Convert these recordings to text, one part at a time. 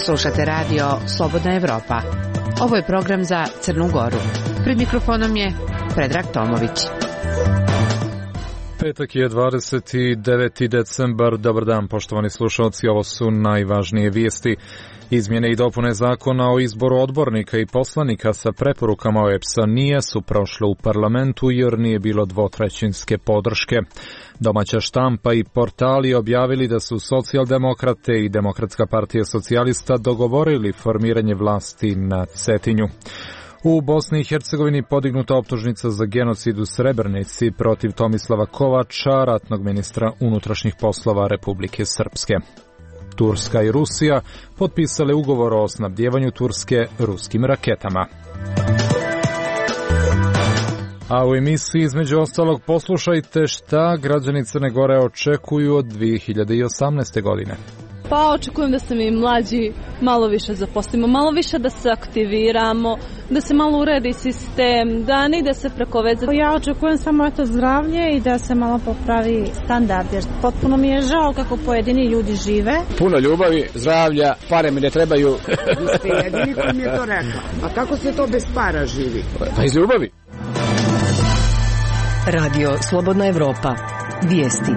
Slušate radio Slobodna Evropa. Ovo je program za Crnu Goru. Pred mikrofonom je Predrag Tomović. Petak je 29. decembar. Dobar dan, poštovani slušalci. Ovo su najvažnije vijesti. Izmjene i dopune zakona o izboru odbornika i poslanika sa preporukama OEBS-a nisu prošle u parlamentu jer nije bilo dvotrećinske podrške. Domaća štampa i portali objavili da su Socijaldemokrate i Demokratska partija socijalista dogovorili formiranje vlasti na Cetinju. U Bosni i Hercegovini podignuta optužnica za genocid u Srebrenici protiv Tomislava Kovača, ratnog ministra unutrašnjih poslova Republike Srpske. Turska i Rusija potpisale ugovor o snabdjevanju Turske ruskim raketama. A u emisiji između ostalog poslušajte šta građani Crne Gore očekuju od 2018. godine. Pa očekujem da se mi mlađi malo više zaposlimo, malo više da se aktiviramo, da se malo uredi sistem, da ne ide se preko veze. Ja očekujem samo zdravlje i da se malo popravi standard, jer potpuno mi je žao kako pojedini ljudi žive. Puno ljubavi, zdravlja, pare mi ne trebaju. Vi ste jedini koji mi je to rekla. A kako se to bez para živi? Pa iz ljubavi. Radio Slobodna Evropa. Vijesti.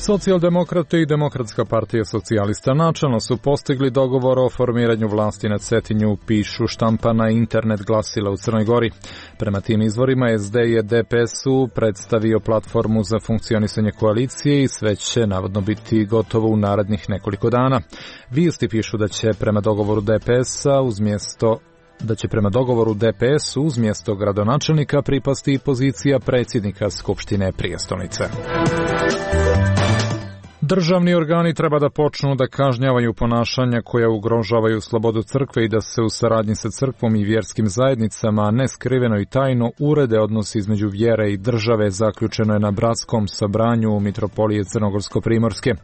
Socijaldemokrate i Demokratska partija socijalista načelno su postigli dogovor o formiranju vlasti na Cetinju, pišu štampa na internet glasila u Crnoj Gori. Prema tim izvorima SD je DPS-u predstavio platformu za funkcionisanje koalicije i sve će navodno biti gotovo u narednih nekoliko dana. Vijesti pišu da će prema dogovoru DPS-u uz mjesto gradonačelnika pripasti pozicija predsjednika Skupštine prijestolnice. Državni organi treba da počnu da kažnjavaju ponašanja koja ugrožavaju slobodu crkve i da se u saradnji sa crkvom i vjerskim zajednicama neskriveno i tajno urede odnosi između vjere i države, zaključeno je na bratskom sabranju Mitropolije Crnogorsko-Primorske.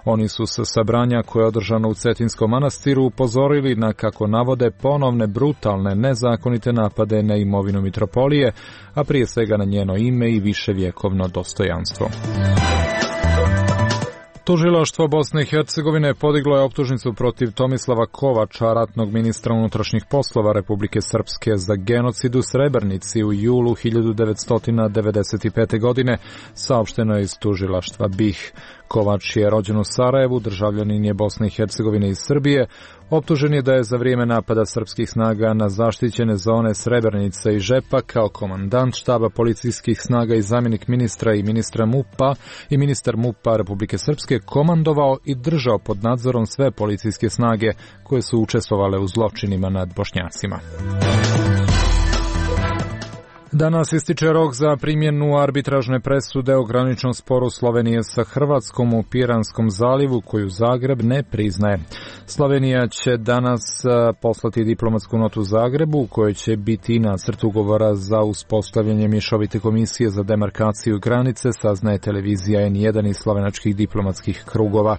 Oni su sa sabranja koje je održano u Cetinskom manastiru upozorili na, kako navode, ponovne brutalne nezakonite napade na imovinu Mitropolije, a prije svega na njeno ime i viševjekovno dostojanstvo. Tužilaštvo Bosne i Hercegovine podiglo je optužnicu protiv Tomislava Kovača, ratnog ministra unutrašnjih poslova Republike Srpske, za genocid u Srebrenici u julu 1995. godine, saopšteno je iz tužilaštva BiH. Kovač je rođen u Sarajevu, državljanin je Bosne i Hercegovine i Srbije. Optužen je da je za vrijeme napada srpskih snaga na zaštićene zone Srebrenica i Žepa kao komandant štaba policijskih snaga i zamjenik ministra i ministar MUP-a Republike Srpske komandovao i držao pod nadzorom sve policijske snage koje su učestvovale u zločinima nad Bošnjacima. Danas ističe rok za primjenu arbitražne presude o graničnom sporu Slovenije sa Hrvatskom u Piranskom zalivu, koju Zagreb ne priznaje. Slovenija će danas poslati diplomatsku notu Zagrebu u kojoj će biti nacrt ugovora za uspostavljanje mješovite komisije za demarkaciju granice, saznaje televizija N1 i slovenačkih diplomatskih krugova.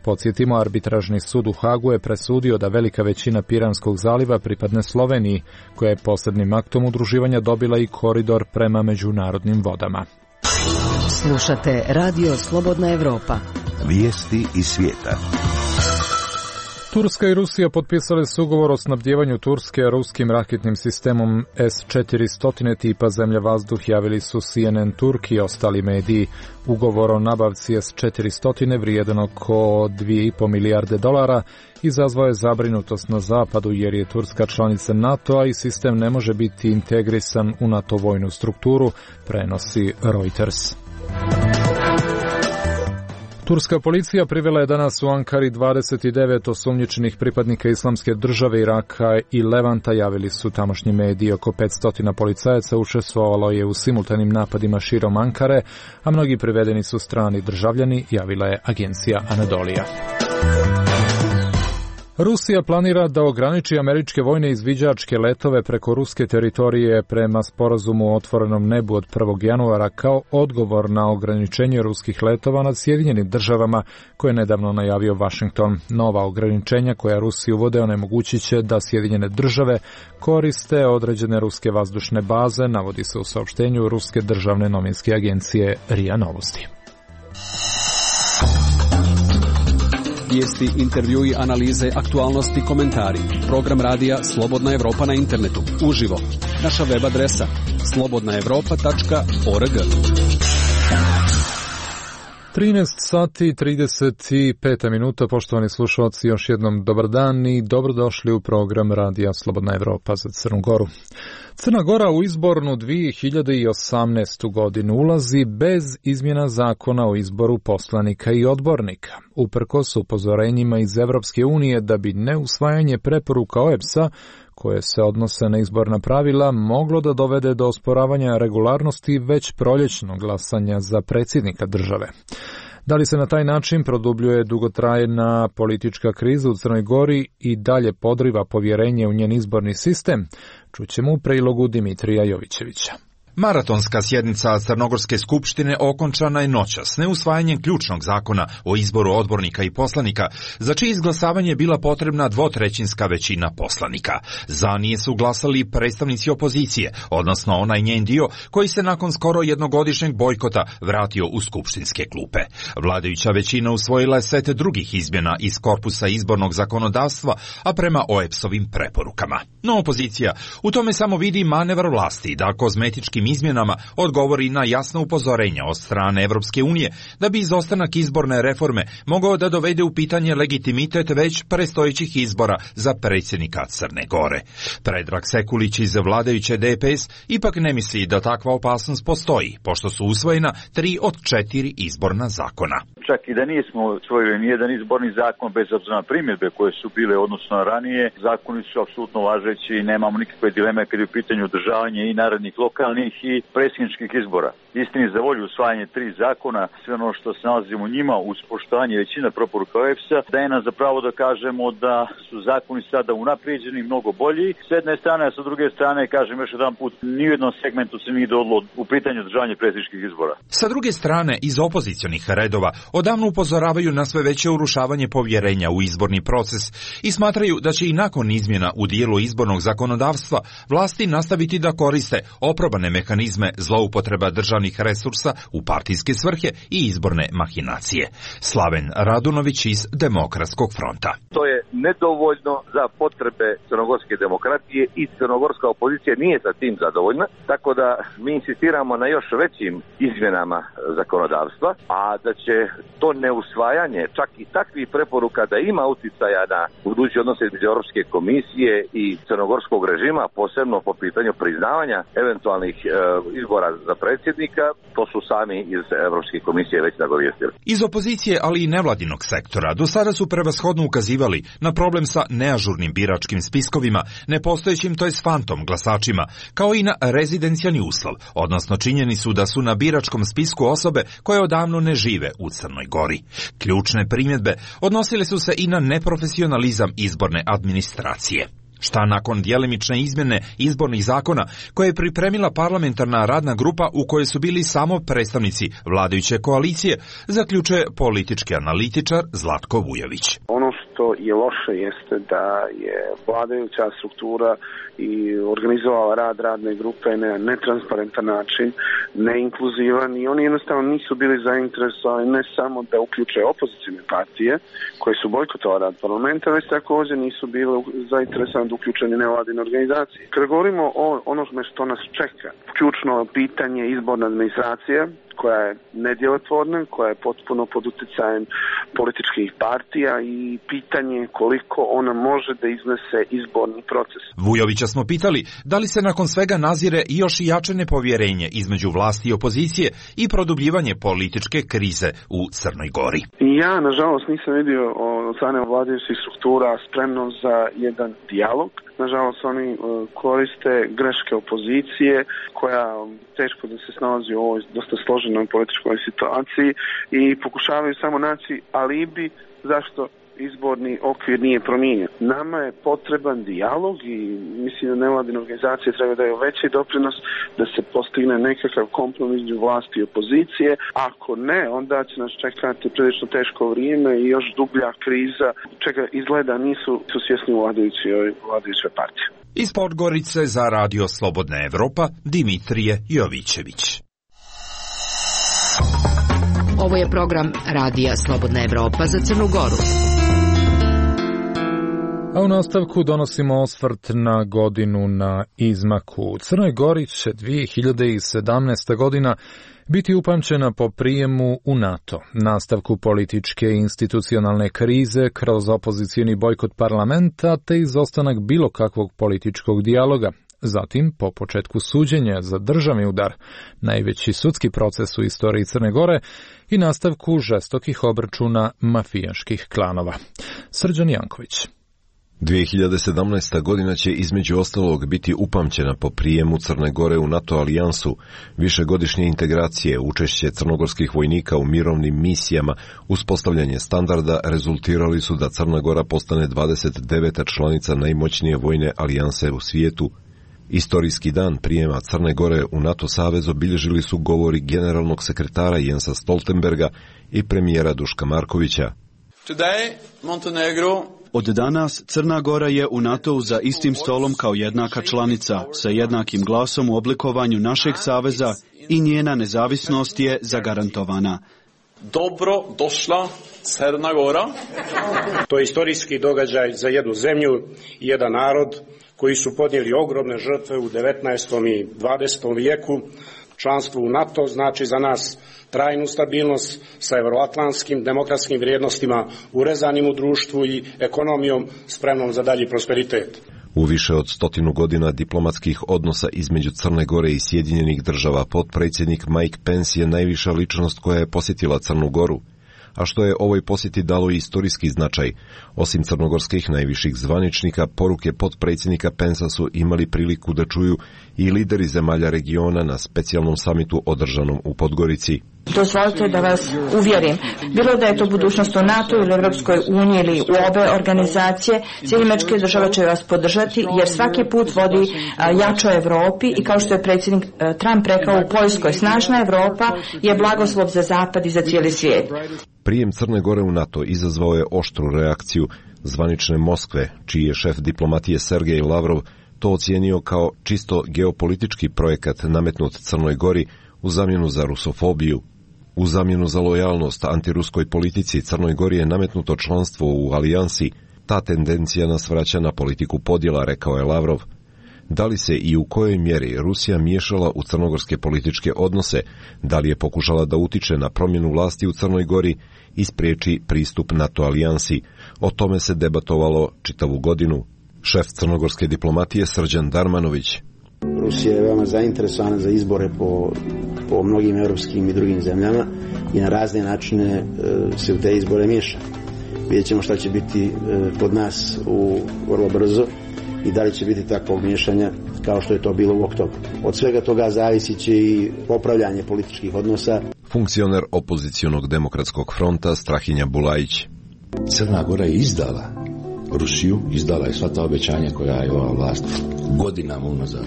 Podsjetimo, arbitražni sud u Hagu je presudio da velika većina Piranskog zaliva pripadne Sloveniji, koja je posebnim aktom udruživanja dobila i koridor prema međunarodnim vodama. Slušate Radio Slobodna Evropa. Vijesti iz svijeta. Turska i Rusija potpisali su ugovor o snabdjevanju Turske ruskim raketnim sistemom S-400 tipa zemlja-vazduh, javili su CNN Turk i ostali mediji. Ugovor o nabavci S-400 vrijedan oko $2,5 milijarde izazvao je zabrinutost na zapadu jer je Turska članica NATO-a i sistem ne može biti integrisan u NATO vojnu strukturu, prenosi Reuters. Turska policija privela je danas u Ankari 29 osumnjičenih pripadnika Islamske države, Iraka i Levanta, javili su tamošnji mediji. Oko 500 policajaca učestvovalo je u simultanim napadima širom Ankare, a mnogi privedeni su strani državljani, javila je agencija Anadolija. Rusija planira da ograniči američke vojne izviđačke letove preko ruske teritorije prema sporazumu o otvorenom nebu od 1. januara kao odgovor na ograničenje ruskih letova nad Sjedinjenim državama koje je nedavno najavio Washington. Nova ograničenja koja Rusiji uvode onemogućit će da Sjedinjene države koriste određene ruske vazdušne baze, navodi se u saopštenju ruske državne novinske agencije RIA Novosti. Vijesti, intervjui, analize, aktualnosti, komentari. Program radija Slobodna Evropa na internetu. Uživo. Naša web adresa slobodnaevropa.org. 13 sati i 35 minuta, poštovani slušalci, još jednom dobar dan i dobrodošli u program radija Slobodna Evropa za Crnu Goru. Crna Gora u izbornu 2018. godinu ulazi bez izmjena zakona o izboru poslanika i odbornika, uprkos upozorenjima iz Evropske unije da bi neusvajanje preporuka OEBS-a koje se odnose na izborna pravila moglo da dovede do osporavanja regularnosti već proljećnog glasanja za predsjednika države. Da li se na taj način produbljuje dugotrajna politička kriza u Crnoj Gori i dalje podriva povjerenje u njen izborni sistem, čućemo u prilogu Dimitrija Jovićevića. Maratonska sjednica Crnogorske skupštine okončana je noćas neusvajanjem ključnog zakona o izboru odbornika i poslanika, za čije izglasavanje je bila potrebna dvotrećinska većina poslanika. Za nije su glasali predstavnici opozicije, odnosno onaj njen dio koji se nakon skoro jednogodišnjeg bojkota vratio u skupštinske klupe. Vladajuća većina usvojila je set drugih izmjena iz korpusa izbornog zakonodavstva, a prema OEBS-ovim preporukama. No opozicija u tome samo vidi manevar vlasti da kozmetičkim izmjenama odgovori na jasno upozorenja od strane Evropske unije da bi izostanak izborne reforme mogao da dovede u pitanje legitimitet već predstojećih izbora za predsjednika Crne Gore. Predrag Sekulić iz vladajuće DPS ipak ne misli da takva opasnost postoji, pošto su usvojena 3 od 4 izborna zakona. Čak i da nismo usvojili nijedan izborni zakon, bez obzira na primjedbe koje su bile odnosno na ranije, zakoni su apsolutno važeći i nemamo nikakve dileme kad je u pitanju održavanje i narednih lokalnih i predsjedničkih izbora. Istini za volju usvajanje 3 zakona, sve ono što se nalazi u njima uz poštovanje većina preporuka OEBS-a, daje nam zapravo da kažemo da su zakoni sada unaprijeđeni, mnogo bolji. S jedne strane, a sa druge strane, kažem još jedan put, ni u jednom segmentu se nije dogodilo u pitanju održavanja predsjedničkih izbora. Sa druge strane, iz opozicionih redova odavno upozoravaju na sve veće urušavanje povjerenja u izborni proces i smatraju da će i nakon izmjena u dijelu izbornog zakonodavstva vlasti nastaviti da koriste oprobane mehanizme zloupotreba državnih resursa u partijske svrhe i izborne mahinacije. Slaven Radunović iz Demokratskog fronta. To je nedovoljno za potrebe crnogorske demokratije i crnogorska opozicija nije sa tim zadovoljna, tako da mi insistiramo na još većim izmjenama zakonodavstva, a da će to neusvajanje čak i takvih preporuka da ima uticaja na budući odnose između Europske komisije i crnogorskog režima, posebno po pitanju priznavanja eventualnih izbora za predsjednika, to su sami iz Europske komisije već nagovijestili. Iz opozicije, ali i nevladinog sektora, do sada su prevashodno ukazivali na problem sa neažurnim biračkim spiskovima, nepostojećim to je fantom glasačima, kao i na rezidencijalni uslov, odnosno činjenicu da su na biračkom spisku osobe koje odavno ne žive u Crnoj Gori. Ključne primjedbe odnosile su se i na neprofesionalizam izborne administracije. Šta nakon djelimične izmjene izbornih zakona koje je pripremila parlamentarna radna grupa u kojoj su bili samo predstavnici vladajuće koalicije, zaključuje politički analitičar Zlatko Vujović. Ono što je loše jeste da je vladajuća struktura i organizovala rad radne grupe na netransparentan način, neinkluzivan i oni jednostavno nisu bili zainteresovani ne samo da uključe opozicijne partije koje su bojkotovali rad parlamenta, već također nisu bili zainteresovani da uključeni nevladine organizacije. Kada govorimo o onome što nas čeka, ključno pitanje izborne administracije, koja je nedjelotvorna, koja je potpuno pod utjecajem političkih partija i pitanje koliko ona može da iznese izborni proces. Vujovića smo pitali da li se nakon svega nazire još i jače nepovjerenje između vlasti i opozicije i produbljivanje političke krize u Crnoj Gori. Ja, nažalost, nisam vidio od strane vladajućih struktura spremnost za jedan dijalog. Nažalost, oni koriste greške opozicije koja teško da se snalazi u ovoj dosta složenoj političkoj situaciji i pokušavaju samo naći alibi zašto izborni okvir nije promijenjen. Nama je potreban dijalog i mislim da nevladine organizacije treba daju veći doprinos da se postigne nekakav kompromis između vlasti i opozicije. Ako ne, onda će nas čekati prilično teško vrijeme i još dublja kriza, čega izgleda nisu svjesni vladajuće partije. Iz Podgorice za Radio Slobodna Evropa, Dimitrije Jovićević. Ovo je program Radija Slobodna Evropa za Crnu Goru. A u nastavku donosimo osvrt na godinu na izmaku. U Crnoj Gori će 2017. godina biti upamćena po prijemu u NATO, nastavku političke i institucionalne krize kroz opozicijni bojkot parlamenta te izostanak bilo kakvog političkog dijaloga. Zatim, po početku suđenja za državni udar, najveći sudski proces u istoriji Crne Gore i nastavku žestokih obračuna mafijaških klanova. Srđan Janković. 2017. godina će između ostalog biti upamćena po prijemu Crne Gore u NATO alijansu, višegodišnje integracije, učešće crnogorskih vojnika u mirovnim misijama, uspostavljanje standarda rezultirali su da Crna Gora postane 29. članica najmoćnije vojne alijanse u svijetu. Istorijski dan prijema Crne Gore u NATO savez obilježili su govori generalnog sekretara Jensa Stoltenberga i premijera Duška Markovića. Od danas Crna Gora je u NATO-u za istim stolom kao jednaka članica, sa jednakim glasom u oblikovanju našeg saveza i njena nezavisnost je zagarantovana. Dobro došla Crna Gora. To je istorijski događaj za jednu zemlju i jedan narod koji su podnijeli ogromne žrtve u 19. i 20. vijeku. Članstvo u NATO znači za nas trajnu stabilnost sa evroatlantskim demokratskim vrijednostima urezanim u društvu i ekonomijom spremnom za dalji prosperitet. U više od 100 godina diplomatskih odnosa između Crne Gore i Sjedinjenih država potpredsjednik Mike Pence je najviša ličnost koja je posjetila Crnu Goru. A što je ovoj posjeti dalo i istorijski značaj. Osim crnogorskih najviših zvaničnika, poruke potpredsjednika Pensa su imali priliku da čuju i lideri zemalja regiona na specijalnom samitu održanom u Podgorici. Dozvolite da vas uvjerim, bilo da je to budućnost u NATO ili Europskoj uniji ili u obe organizacije, Sjedinjene države će vas podržati jer svaki put vodi jačoj Evropi i kao što je predsjednik Trump rekao u Poljskoj, snažna Evropa je blagoslov za Zapad i za cijeli svijet. Prijem Crne Gore u NATO izazvao je oštru reakciju zvanične Moskve, čiji je šef diplomatije Sergej Lavrov to ocijenio kao čisto geopolitički projekat nametnut Crnoj Gori u zamjenu za rusofobiju. U zamjenu za lojalnost antiruskoj politici Crnoj Gori je nametnuto članstvo u alijansi. Ta tendencija nas vraća na politiku podjela, rekao je Lavrov. Da li se i u kojoj mjeri Rusija miješala u crnogorske političke odnose, da li je pokušala da utiče na promjenu vlasti u Crnoj Gori i spriječi pristup NATO alijansi, o tome se debatovalo čitavu godinu. Šef crnogorske diplomatije Srđan Darmanović. Rusija je veoma zainteresovana za izbore po mnogim europskim i drugim zemljama i na razne načine se u te izbore miješa. Vidjet ćemo šta će biti kod nas vrlo brzo i da li će biti takvog miješanja kao što je to bilo u oktobru. Od svega toga zavisit će i popravljanje političkih odnosa. Funkcioner opozicionog demokratskog fronta Strahinja Bulajić. Crna Gora je izdala Rusiju, izdala je sva ta obećanja koja je ova vlast godinama unazad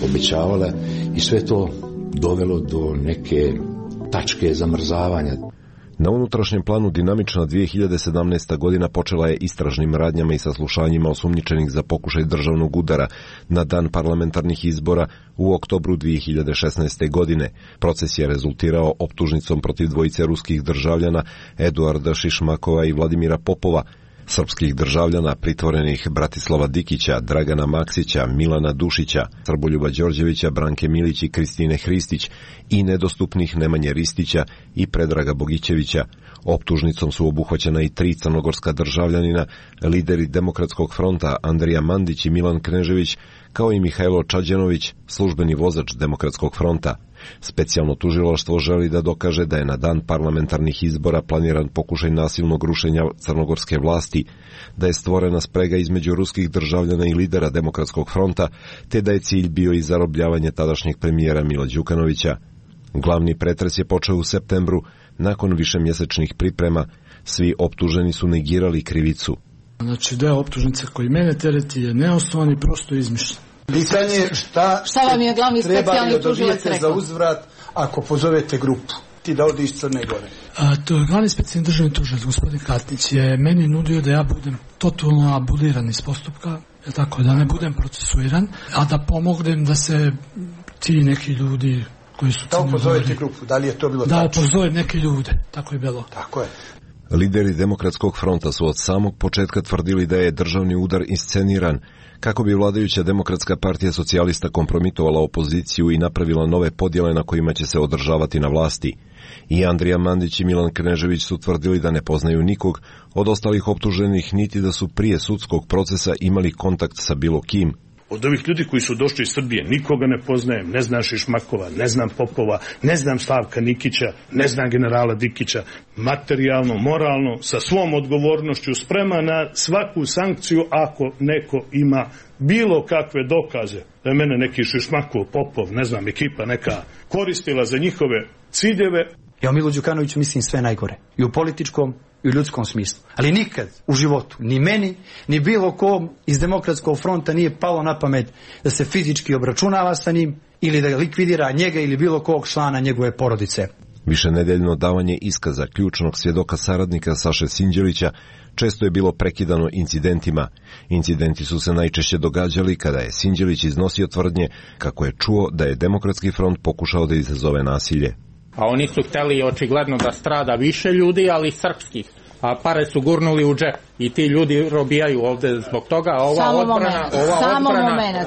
obećavala i sve to dovelo do neke tačke zamrzavanja. Na unutrašnjem planu dinamična 2017. godina počela je istražnim radnjama i saslušanjima osumnjičenih za pokušaj državnog udara na dan parlamentarnih izbora u oktobru 2016. godine. Proces je rezultirao optužnicom protiv dvojice ruskih državljana Eduarda Šišmakova i Vladimira Popova, srpskih državljana pritvorenih Bratislava Dikića, Dragana Maksića, Milana Dušića, Srboljuba Đorđevića, Branke Milić i Kristine Hristić i nedostupnih Nemanje Ristića i Predraga Bogićevića. Optužnicom su obuhvaćena i 3 crnogorska državljanina, lideri Demokratskog fronta Andrija Mandić i Milan Knežević, kao i Mihajlo Čađenović, službeni vozač Demokratskog fronta. Specijalno tužilaštvo želi da dokaže da je na dan parlamentarnih izbora planiran pokušaj nasilnog rušenja crnogorske vlasti, da je stvorena sprega između ruskih državljana i lidera Demokratskog fronta, te da je cilj bio i zarobljavanje tadašnjeg premijera Mila Đukanovića. Glavni pretres je počeo u septembru, nakon višemjesečnih priprema. Svi optuženi su negirali krivicu. Znači, deo optužnice koji mene tereti je neosnovan i prosto izmišljen. Pitanje šta vam je glavni specijalni tužilac rekao za uzvrat ako pozovete grupu ti da ode iz Crne Gore? To je glavni specijalni državni tužilac, gospodin Katnić, je meni nudio da ja budem totalno abuliran iz postupka, tako da ne budem procesuiran, a da pomognem da se ti neki ljudi koji su... Da upozovete grupu, da li je to bilo da upozovem neke ljude, tako je bilo. Tako je. Lideri Demokratskog fronta su od samog početka tvrdili da je državni udar isceniran, kako bi vladajuća Demokratska partija socijalista kompromitovala opoziciju i napravila nove podjele na kojima će se održavati na vlasti. I Andrija Mandić i Milan Knežević su tvrdili da ne poznaju nikog od ostalih optuženih, niti da su prije sudskog procesa imali kontakt sa bilo kim. Od ovih ljudi koji su došli iz Srbije nikoga ne poznajem, ne znam Šišmakova, ne znam Popova, ne znam Slavka Nikića, ne znam generala Dikića. Materijalno, moralno, sa svom odgovornošću sprema na svaku sankciju ako neko ima bilo kakve dokaze da je mene neki Šišmakov, Popov, ne znam, ekipa neka koristila za njihove ciljeve. Ja o Milu Đukanoviću mislim sve najgore. I u političkom i u ljudskom smislu. Ali nikad u životu, ni meni, ni bilo kom iz Demokratskog fronta nije palo na pamet da se fizički obračunava sa njim ili da likvidira njega ili bilo kog člana njegove porodice. Višenedeljno davanje iskaza ključnog svjedoka saradnika Saše Sinđelića često je bilo prekidano incidentima. Incidenti su se najčešće događali kada je Sinđelić iznosio tvrdnje kako je čuo da je Demokratski front pokušao da izazove nasilje. A oni su hteli očigledno da strada više ljudi, ali srpskih. A pare su gurnuli u džep i ti ljudi robijaju ovde zbog toga. Ova odbrana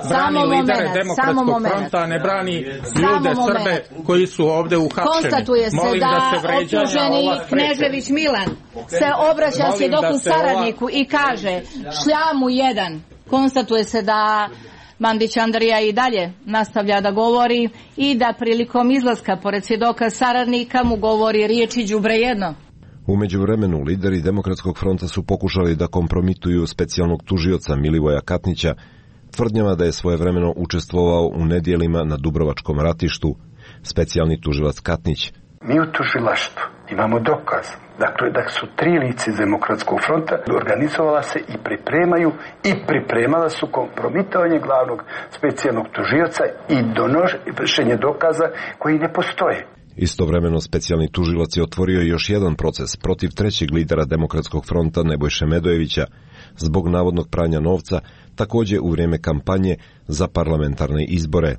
brani lidere Demokratskog fronta, a ne brani ljude Srbe koji su ovde uhapšeni. Konstatuje se da optuženi Knežević Milan se obraća svjedoku saradniku i kaže šljamu jedan. Konstatuje se da Mandić Andrija i dalje nastavlja da govori i da prilikom izlaska pored svjedoka saradnika mu govori riječi đubre jedno. U međuvremenu, lideri Demokratskog fronta su pokušali da kompromituju specijalnog tužioca Milivoja Katnića, tvrdnjama da je svojevremeno učestvovao u nedjelima na Dubrovačkom ratištu. Specijalni tužilac Katnić: mi u tužilaštvu imamo dokaz. Dakle, da su 3 lice iz Demokratskog fronta organizovala se i pripremala su kompromitovanje glavnog specijalnog tužioca i donošenje dokaza koji ne postoje. Istovremeno specijalni tužilac je otvorio još jedan proces protiv trećeg lidera Demokratskog fronta Nebojše Medojevića zbog navodnog pranja novca, također u vrijeme kampanje za parlamentarne izbore.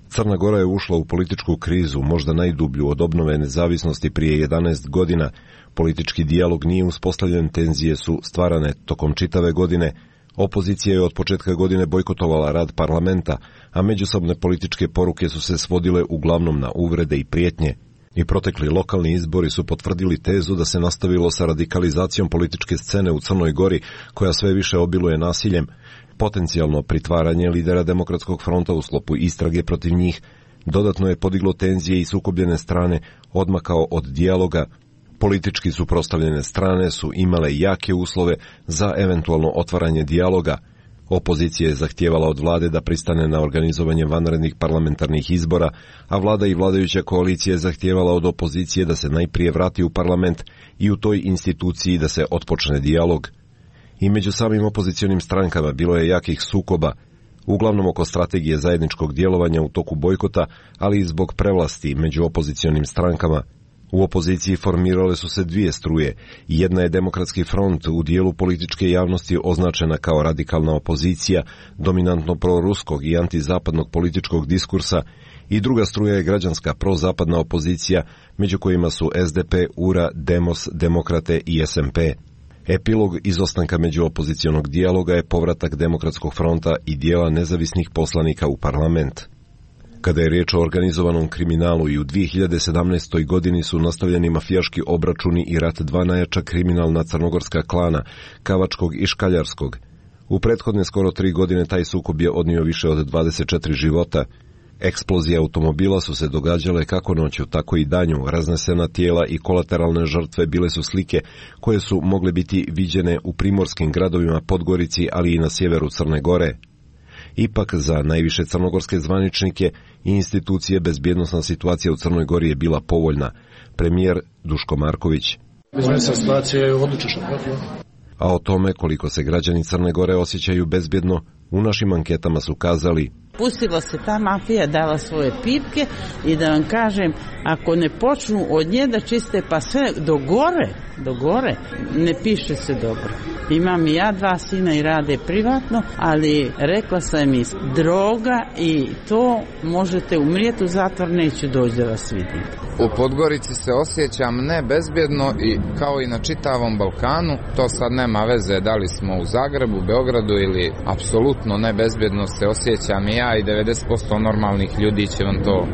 Crna Gora je ušla u političku krizu, možda najdublju od obnove nezavisnosti prije 11 godina. Politički dijalog nije uspostavljen, tenzije su stvarane tokom čitave godine. Opozicija je od početka godine bojkotovala rad parlamenta, a međusobne političke poruke su se svodile uglavnom na uvrede i prijetnje. I protekli lokalni izbori su potvrdili tezu da se nastavilo sa radikalizacijom političke scene u Crnoj Gori, koja sve više obiluje nasiljem. Potencijalno pritvaranje lidera Demokratskog fronta u sklopu istrage protiv njih dodatno je podiglo tenzije i sukobljene strane odmakao od dijaloga. Politički suprotstavljene strane su imale jake uslove za eventualno otvaranje dijaloga. Opozicija je zahtijevala od vlade da pristane na organizovanje vanrednih parlamentarnih izbora, a vlada i vladajuća koalicija je zahtijevala od opozicije da se najprije vrati u parlament i u toj instituciji da se otpočne dijalog. I među samim opozicionim strankama bilo je jakih sukoba, uglavnom oko strategije zajedničkog djelovanja u toku bojkota, ali i zbog prevlasti među opozicionim strankama. U opoziciji formirale su se 2 struje. Jedna je Demokratski front, u dijelu političke javnosti označena kao radikalna opozicija, dominantno proruskog i antizapadnog političkog diskursa, i druga struja je građanska prozapadna opozicija, među kojima su SDP, URA, Demos, Demokrate i SMP. Epilog izostanka međuopozicionog dijaloga je povratak Demokratskog fronta i dijela nezavisnih poslanika u parlament. Kada je riječ o organizovanom kriminalu, i u 2017. godini su nastavljeni mafijaški obračuni i rat 2 najjača kriminalna crnogorska klana, Kavačkog i Škaljarskog. U prethodne skoro 3 godine taj sukob je odnio više od 24 života. Eksplozije automobila su se događale kako noću, tako i danju. Raznesena tijela i kolateralne žrtve bile su slike koje su mogle biti viđene u primorskim gradovima Podgorici, ali i na sjeveru Crne Gore. Ipak za najviše crnogorske zvaničnike i institucije bezbjednosna situacija u Crnoj Gori je bila povoljna. Premijer Duško Marković: bezbjednosna situacija je odlična. A o tome koliko se građani Crne Gore osjećaju bezbjedno, u našim anketama su kazali Pustila se ta mafija, dala svoje pipke i da vam kažem, ako ne počnu od nje da čiste pa sve do gore, ne piše se dobro. Imam i ja 2 sina i rade privatno, ali rekla sam im, droga i to možete umrijeti u zatvor, neću doći da vas vidim. U Podgorici se osjećam nebezbjedno i kao i na čitavom Balkanu, to sad nema veze da li smo u Zagrebu, Beogradu ili apsolutno nebezbjedno se osjećam i ja i 90% normalnih ljudi će vam to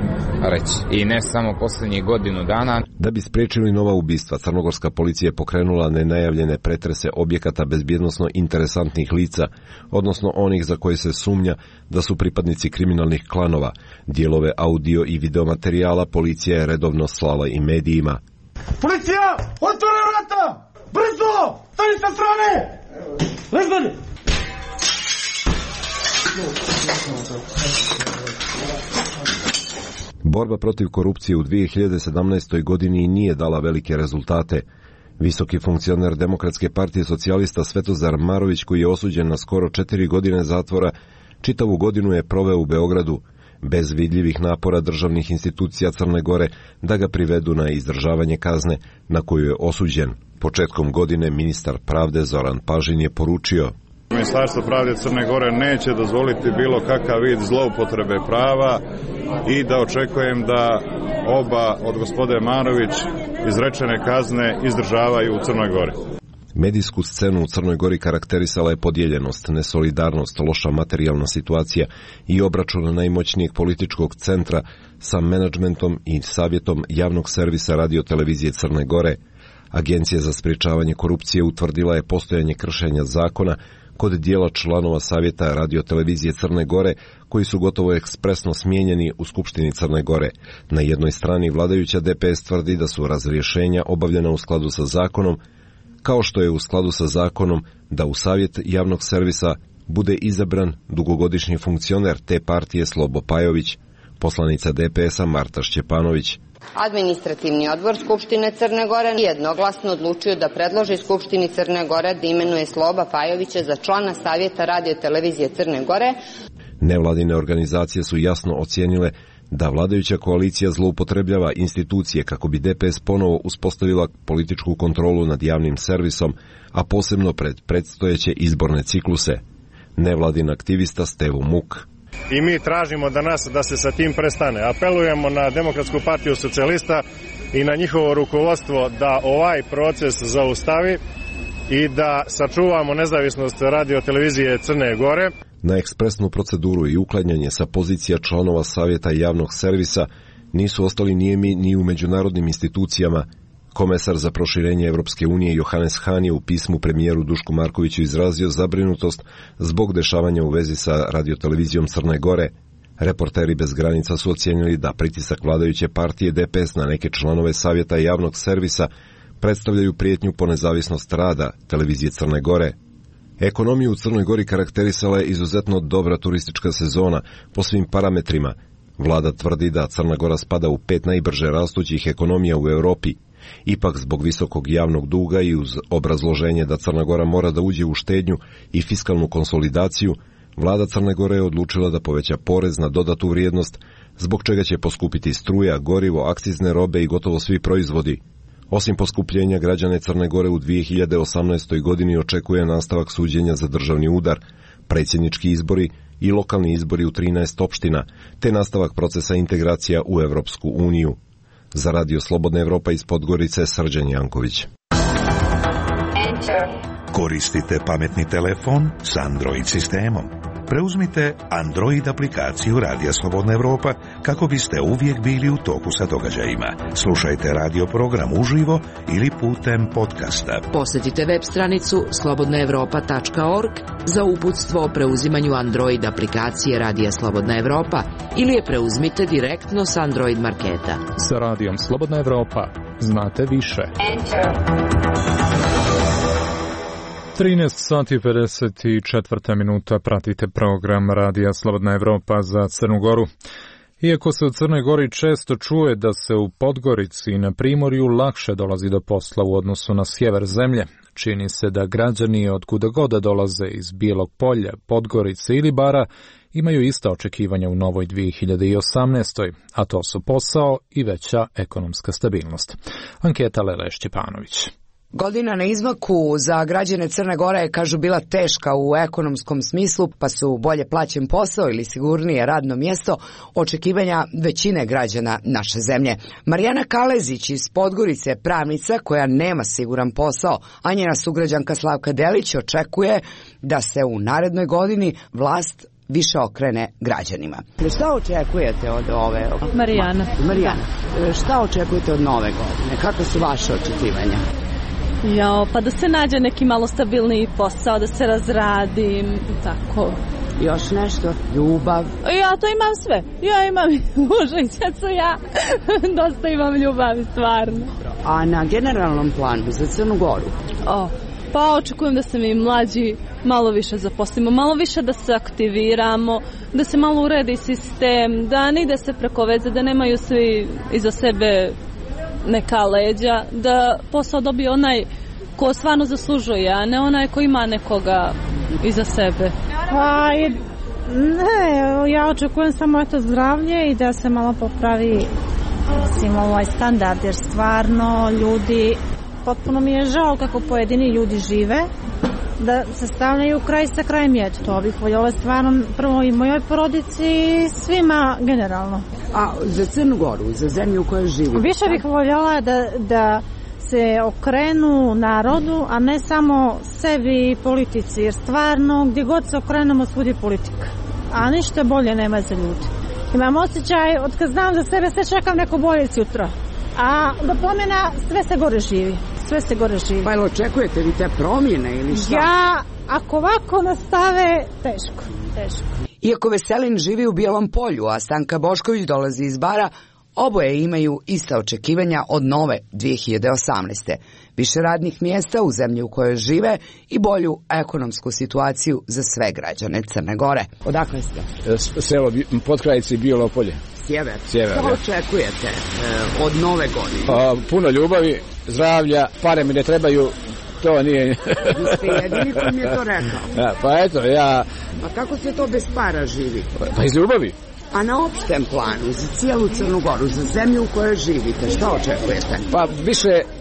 reći. I ne samo posljednjih godinu dana. Da bi spriječili nova ubistva, crnogorska policija je pokrenula nenajavljene pretrese objekata bezbjednosno interesantnih lica, odnosno onih za koje se sumnja da su pripadnici kriminalnih klanova. Dijelove audio i videomaterijala policija je redovno slala i medijima. Policija! Otvori vrata! Brzo! Stani sa strane! Lezbani! Borba protiv korupcije u 2017. godini nije dala velike rezultate. Visoki funkcioner Demokratske partije socijalista Svetozar Marović, koji je osuđen na skoro 4 godine zatvora, čitavu godinu je proveo u Beogradu, bez vidljivih napora državnih institucija Crne Gore da ga privedu na izdržavanje kazne na koju je osuđen. Početkom godine ministar pravde Zoran Pažin je poručio: Ministarstvo pravde Crne Gore neće dozvoliti bilo kakav vid zloupotrebe prava i da očekujem da oba od gospode Marović izrečene kazne izdržavaju u Crnoj Gori. Medijsku scenu u Crnoj Gori karakterisala je podijeljenost, nesolidarnost, loša materijalna situacija i obračun najmoćnijeg političkog centra sa menadžmentom i savjetom javnog servisa radiotelevizije Crne Gore. Agencija za sprječavanje korupcije utvrdila je postojanje kršenja zakona kod dijela članova savjeta radiotelevizije Crne Gore, koji su gotovo ekspresno smijenjeni u Skupštini Crne Gore. Na jednoj strani vladajuća DPS tvrdi da su razrješenja obavljena u skladu sa zakonom, kao što je u skladu sa zakonom da u savjet javnog servisa bude izabran dugogodišnji funkcioner te partije Slobo Pajović. Poslanica DPS-a Marta Šćepanović. Administrativni odbor Skupštine Crne Gore jednoglasno odlučio da predloži Skupštini Crne Gore da imenuje Sloba Pajovića za člana savjeta radiotelevizije Crne Gore. Nevladine organizacije su jasno ocijenile da vladajuća koalicija zloupotrebljava institucije kako bi DPS ponovo uspostavila političku kontrolu nad javnim servisom, a posebno pred predstojeće izborne cikluse. Nevladin aktivista Stevo Muk. I mi tražimo da se sa tim prestane. Apelujemo na Demokratsku partiju socijalista i na njihovo rukovodstvo da ovaj proces zaustavi i da sačuvamo nezavisnost radiotelevizije Crne Gore. Na ekspresnu proceduru i uklanjanje sa pozicija članova savjeta javnog servisa nisu ostali nijemi ni u međunarodnim institucijama. Komesar za proširenje Evropske unije Johannes Hahn je u pismu premijeru Dušku Markoviću izrazio zabrinutost zbog dešavanja u vezi sa radiotelevizijom Crne Gore. Reporteri bez granica su ocijenili da pritisak vladajuće partije DPS na neke članove savjeta javnog servisa predstavljaju prijetnju po nezavisnost rada televizije Crne Gore. Ekonomiju u Crnoj Gori karakterisala je izuzetno dobra turistička sezona po svim parametrima. Vlada tvrdi da Crna Gora spada u 5 najbrže rastućih ekonomija u Europi. Ipak zbog visokog javnog duga i uz obrazloženje da Crna Gora mora da uđe u štednju i fiskalnu konsolidaciju, vlada Crne Gore je odlučila da poveća porez na dodatu vrijednost, zbog čega će poskupiti struja, gorivo, akcizne robe i gotovo svi proizvodi. Osim poskupljenja, građane Crne Gore u 2018. godini očekuje nastavak suđenja za državni udar, predsjednički izbori i lokalni izbori u 13 opština, te nastavak procesa integracija u Evropsku uniju. Za Radio Slobodna Evropa iz Podgorice, Srđan Janković. Koristite pametni telefon s Android sistemom. Preuzmite Android aplikaciju Radija Slobodna Evropa kako biste uvijek bili u toku sa događajima. Slušajte radio program uživo ili putem podcasta. Posjetite web stranicu slobodnaevropa.org za uputstvo o preuzimanju Android aplikacije Radija Slobodna Evropa ili je preuzmite direktno s Android marketa. Sa Radijom Slobodna Evropa znate više. 13 sati 54 minuta pratite program Radija Slobodna Evropa za Crnu Goru. Iako se u Crnoj Gori često čuje da se u Podgorici i na Primorju lakše dolazi do posla u odnosu na sjever zemlje, čini se da građani od kuda god dolaze iz Bijelog Polja, Podgorice ili Bara imaju ista očekivanja u novoj 2018. a to su posao i veća ekonomska stabilnost. Anketa Lele Šćepanović. Godina na izmaku za građane Crne Gore je, kažu, bila teška u ekonomskom smislu, pa su bolje plaćen posao ili sigurnije radno mjesto očekivanja većine građana naše zemlje. Marijana Kalezić iz Podgorice, pravnica koja nema siguran posao, a njena sugrađanka Slavka Delić očekuje da se u narednoj godini vlast više okrene građanima. Šta očekujete od ove? Marijana, šta očekujete od nove godine? Kako su vaše očekivanja? Pa da se nađe neki malo stabilniji posao, da se razradim, tako. Još nešto? Ljubav? Ja to imam sve. Ja imam muža i djecu, ja dosta imam ljubavi, stvarno. A na generalnom planu za Crnu Goru? Pa očekujem da se mi mlađi malo više zaposlimo, malo više da se aktiviramo, da se malo uredi sistem, da ne ide se preko veze, da nemaju svi iza sebe neka leđa, da posao dobije onaj ko stvarno zaslužuje, a ne onaj ko ima nekoga iza sebe. Ja očekujem samo zdravlje i da se malo popravi ovaj standard, jer stvarno ljudi, potpuno mi je žao kako pojedini ljudi žive, da se stavljaju kraj sa krajem jed. To bih voljela stvarno prvo i mojoj porodici i svima generalno. A za Crnu Goru, za zemlju u kojoj živi? Više bih voljela da se okrenu narodu, a ne samo sebi i politici, jer stvarno gdje god se okrenemo svud je politika, a ništa bolje nema za ljudi. Imam osjećaj, od kad znam za sebe, sve čekam neko bolje sutra, a do promjena sve se gore živi. Pa ili očekujete vi te promjene ili šta? Ja, ako ovako nastave, teško. Iako Veselin živi u Bijelom Polju, a Stanka Bošković dolazi iz Bara, oboje imaju ista očekivanja od nove 2018. Više radnih mjesta u zemlji u kojoj žive i bolju ekonomsku situaciju za sve građane Crne Gore. Odakle ste? Selo Potkrajice i Bijelo Polje. Sjever. Što očekujete od nove godine? Puno ljubavi, zdravlja, pare mi ne trebaju, to nije... Vi ste jedini koji mi je to rekao. Pa eto, ja... A kako se to bez para živi? Pa iz ljubavi. A na opštem planu, za cijelu Crnu Goru, za zemlju u kojoj živite, što očekujete? Pa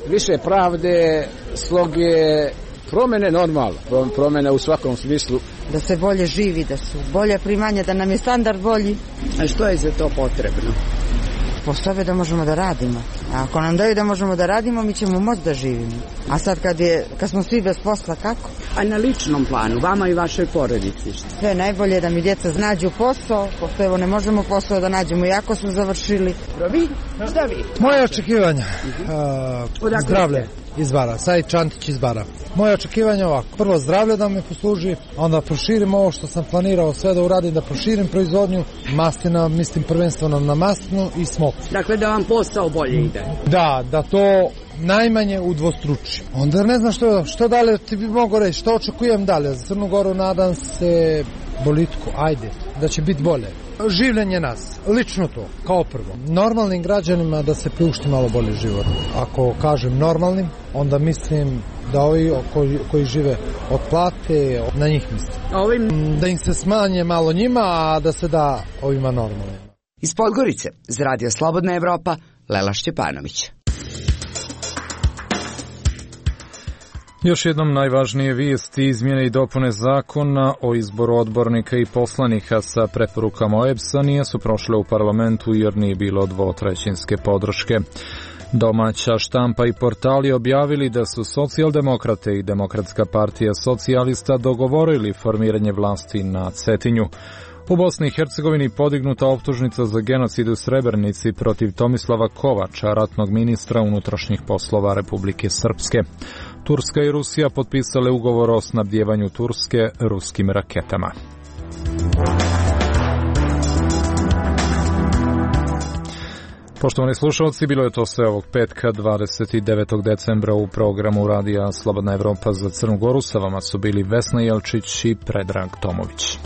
više pravde, sloge, promjene normalno, promjene u svakom smislu. Da se bolje živi, da su bolje primanja, da nam je standard bolji. A što je za to potrebno? Postoje da možemo da radimo. A ako nam daju da možemo da radimo, mi ćemo moći da živimo. A sad kad smo svi bez posla, kako? A na ličnom planu, vama i vašoj porodici? Sve najbolje je da mi djeca nađu posao, pošto evo ne možemo posao da nađemo, jako smo završili. Vi? Šta vi? Moje očekivanja, zdravlje iz Bara, Sajid Čantić iz Bara. Moje očekivanje ovako, prvo zdravlje da me posluži, onda proširim ovo što sam planirao sve da uradim, da proširim proizvodnju mastina, mislim prvenstveno na maslinu i smok. Dakle da vam posao bolje ide. Da to najmanje udvostruči. Onda ne znam što dalje ti bi mogo reći, što očekujem dalje. Za Crnu Goru nadam se boljitku, da će biti bolje. Življenje nas, lično to, kao prvo. Normalnim građanima da se priušti malo bolji život. Ako kažem normalnim, onda mislim da ovi koji žive od plate, na njih mislim. Da im se smanje malo njima, a da se da ovima normalnim. Iz Podgorice, za Radio Slobodna Evropa, Lela Šćepanović. Još jednom najvažnije vijesti, izmjene i dopune zakona o izboru odbornika i poslanika sa preporukama OEBS-a nisu prošle u parlamentu jer nije bilo dvotrećinske podrške. Domaća štampa i portali objavili da su Socijaldemokrate i Demokratska partija socijalista dogovorili formiranje vlasti na Cetinju. U Bosni i Hercegovini podignuta optužnica za genocid u Srebrenici protiv Tomislava Kovača, ratnog ministra unutrašnjih poslova Republike Srpske. Turska i Rusija potpisale ugovor o snabdjevanju Turske ruskim raketama. Poštovani slušalci, bilo je to sve ovog petka 29. decembra u programu Radija Slobodna Evropa za Crnu Goru. Sa vama su bili Vesna Jelčić i Predrag Tomović.